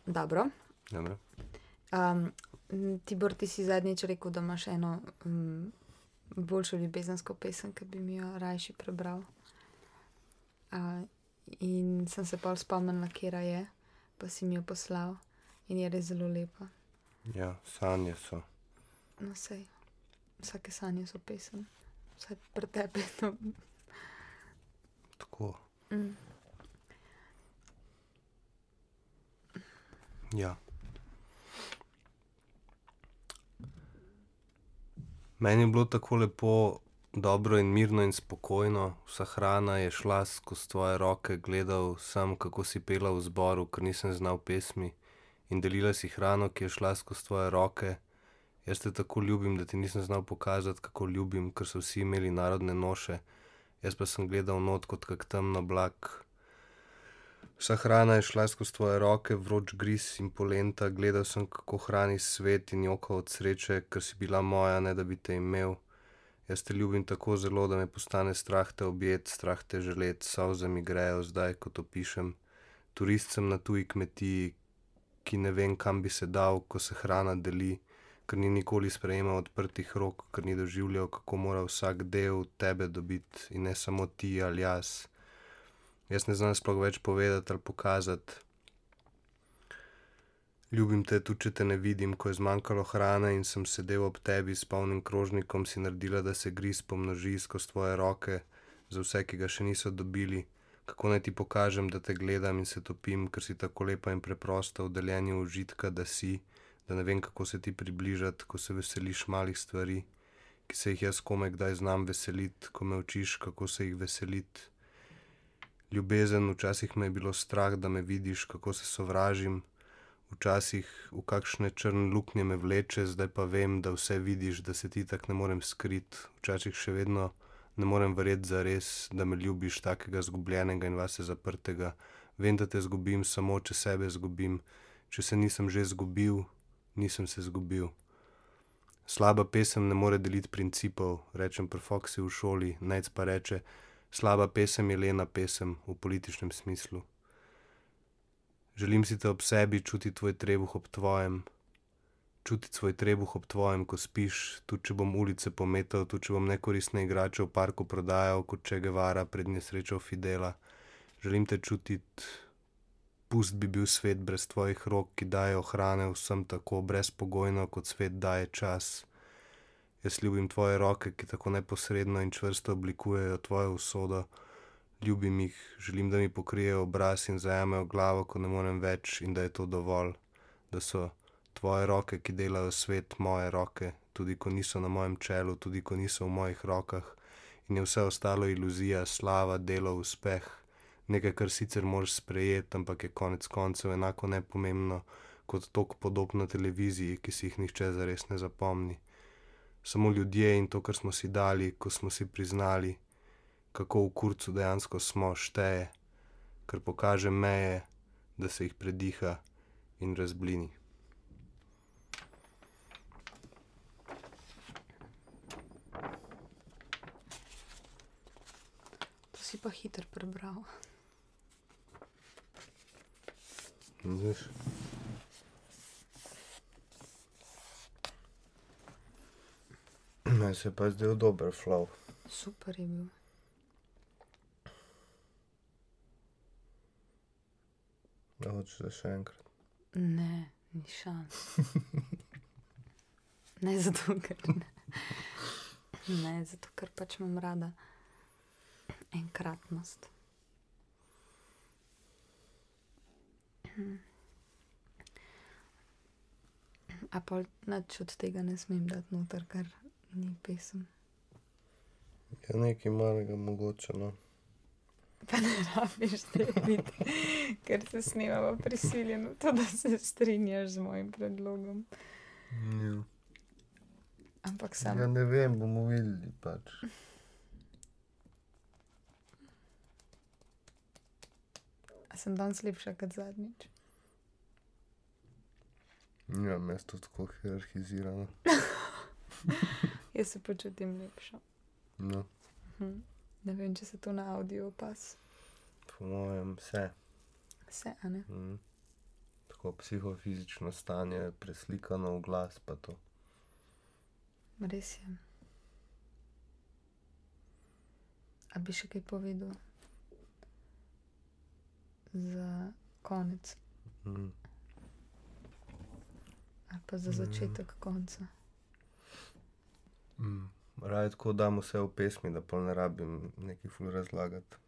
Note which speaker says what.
Speaker 1: Dobro.
Speaker 2: Dobro.
Speaker 1: Tibor, ti si zadnjič rekel, da imaš eno boljšo ljubezensko pesem, ki bi mi jo rajši prebral. In sem se pol spomnila, katera je, pa si mi jo poslal in je res zelo lepa.
Speaker 2: Ja, sanje so.
Speaker 1: No, sej, vsake sanje so pesem. Vsaj pri tebi. No.
Speaker 2: Tako. Ja. Meni je bilo tako lepo, dobro in mirno in spokojno. Vsa hrana je šla skozi tvoje roke, gledal sem, kako si pela v zboru, ker nisem znal pesmi, in delila si hrano, ki je šla skozi tvoje roke. Jaz te tako ljubim, da ti nisem znal pokazati, kako ljubim, ker so vsi imeli narodne noše. Jaz pa sem gledal not kot kak temen oblak. Vsa hrana je šla skozi tvoje roke, vroč gris in polenta, gledal sem, kako hraniš svet in jokal od sreče, ker si bila moja, ne da bi te imel. Jaz te ljubim tako zelo, da me postane strah te objet, strah te želet, solze mi grejo zdaj, ko to pišem. Turist sem na tuji kmetiji, ki ne vem, kam bi se dal, ko se hrana deli, ker ni nikoli sprejemal odprtih rok, ker ni doživljal, kako mora vsak del tebe dobiti in ne samo ti ali jaz. Jaz ne znam sploh več povedati ali pokazati. Ljubim te, tudi če te ne vidim, ko je zmanjkalo hrane in sem sedel ob tebi s polnim krožnikom, si naredila, da se gris pomnoži skozi tvoje roke, za vse, ki ga še niso dobili. Kako naj ti pokažem, da te gledam in se topim, ker si tako lepa in preprosta v deljenju užitka, da si, da ne vem, kako se ti približati, ko se veseliš malih stvari, ki se jih jaz komaj kdaj znam veseliti, ko me učiš, kako se jih veseliti. Ljubezen, včasih me je bilo strah, da me vidiš, kako se sovražim, včasih v kakšne črne luknje me vleče, zdaj pa vem, da vse vidiš, da se ti tak ne morem skriti, včasih še vedno ne morem verjeti zares, da me ljubiš takega zgubljenega in vase zaprtega. Vem, da te zgubim samo, če sebe zgubim, če se nisem že zgubil, nisem se zgubil. Slaba pesem ne more deliti principov, rečem pri Foxy v šoli, Nejc pa reče, slaba pesem je lena pesem, v političnem smislu. Želim si te ob sebi, čutiti tvoj trebuh ob tvojem, čutiti svoj trebuh ob tvojem, ko spiš, tudi če bom ulice pometal, tudi če bom nekoristne igrače v parku prodajal, kot Che Guevara pred nesrečo Fidela. Želim te čutiti, pust bi bil svet brez tvojih rok, ki dajejo hrane vsem tako brezpogojno, kot svet daje čas. Jaz ljubim tvoje roke, ki tako neposredno in čvrsto oblikujejo tvojo usodo. Ljubim jih, želim, da mi pokrijejo obraz in zajamejo glavo, ko ne morem več, in da je to dovolj. Da so tvoje roke, ki delajo svet, moje roke, tudi ko niso na mojem čelu, tudi ko niso v mojih rokah. In je vse ostalo iluzija, slava, delo, uspeh. Nekaj, kar sicer moraš sprejeti, ampak je konec koncev enako nepomembno kot tok podob na televiziji, ki si jih nihče zares ne zapomni. Samo ljudje in to, kar smo si dali, ko smo si priznali, kako v kurcu dejansko smo, šteje, kar pokaže meje, da se jih prediha in razblini.
Speaker 1: To si pa hitro prebral.
Speaker 2: Vidiš? Meni se je pa zdel dober flow.
Speaker 1: Super je bil.
Speaker 2: Ja, hočeš da še enkrat?
Speaker 1: Ne, ni šans. Ne zato, ker ne. Ne, zato, ker pač imam rada enkratnost. A pol nič od tega ne smem dati noter, ker ni pesem.
Speaker 2: Ja, nekaj malega mogoče, no.
Speaker 1: Pa ne rabiš biti, ker se snemava prisiljeno v to, da se strinjaš z mojim predlogom.
Speaker 2: Ja.
Speaker 1: Ampak sam...
Speaker 2: Ja, ne vem, bomo videli pač.
Speaker 1: A sem danes lepša kot zadnjič?
Speaker 2: Ja, mesto tako hierarhizirano.
Speaker 1: Jaz se počutim lepša.
Speaker 2: No,
Speaker 1: Ne vem, če se to na audio opaz.
Speaker 2: po mojem vse.
Speaker 1: Vse, a ne?
Speaker 2: Tako neko psihofizično stanje preslikano v glas pa to.
Speaker 1: Res je. A bi še kaj povedal? Za konec. Ali pa za začetek konca.
Speaker 2: Raje tako dam vse v pesmi, da pol ne rabim nekaj ful razlagati.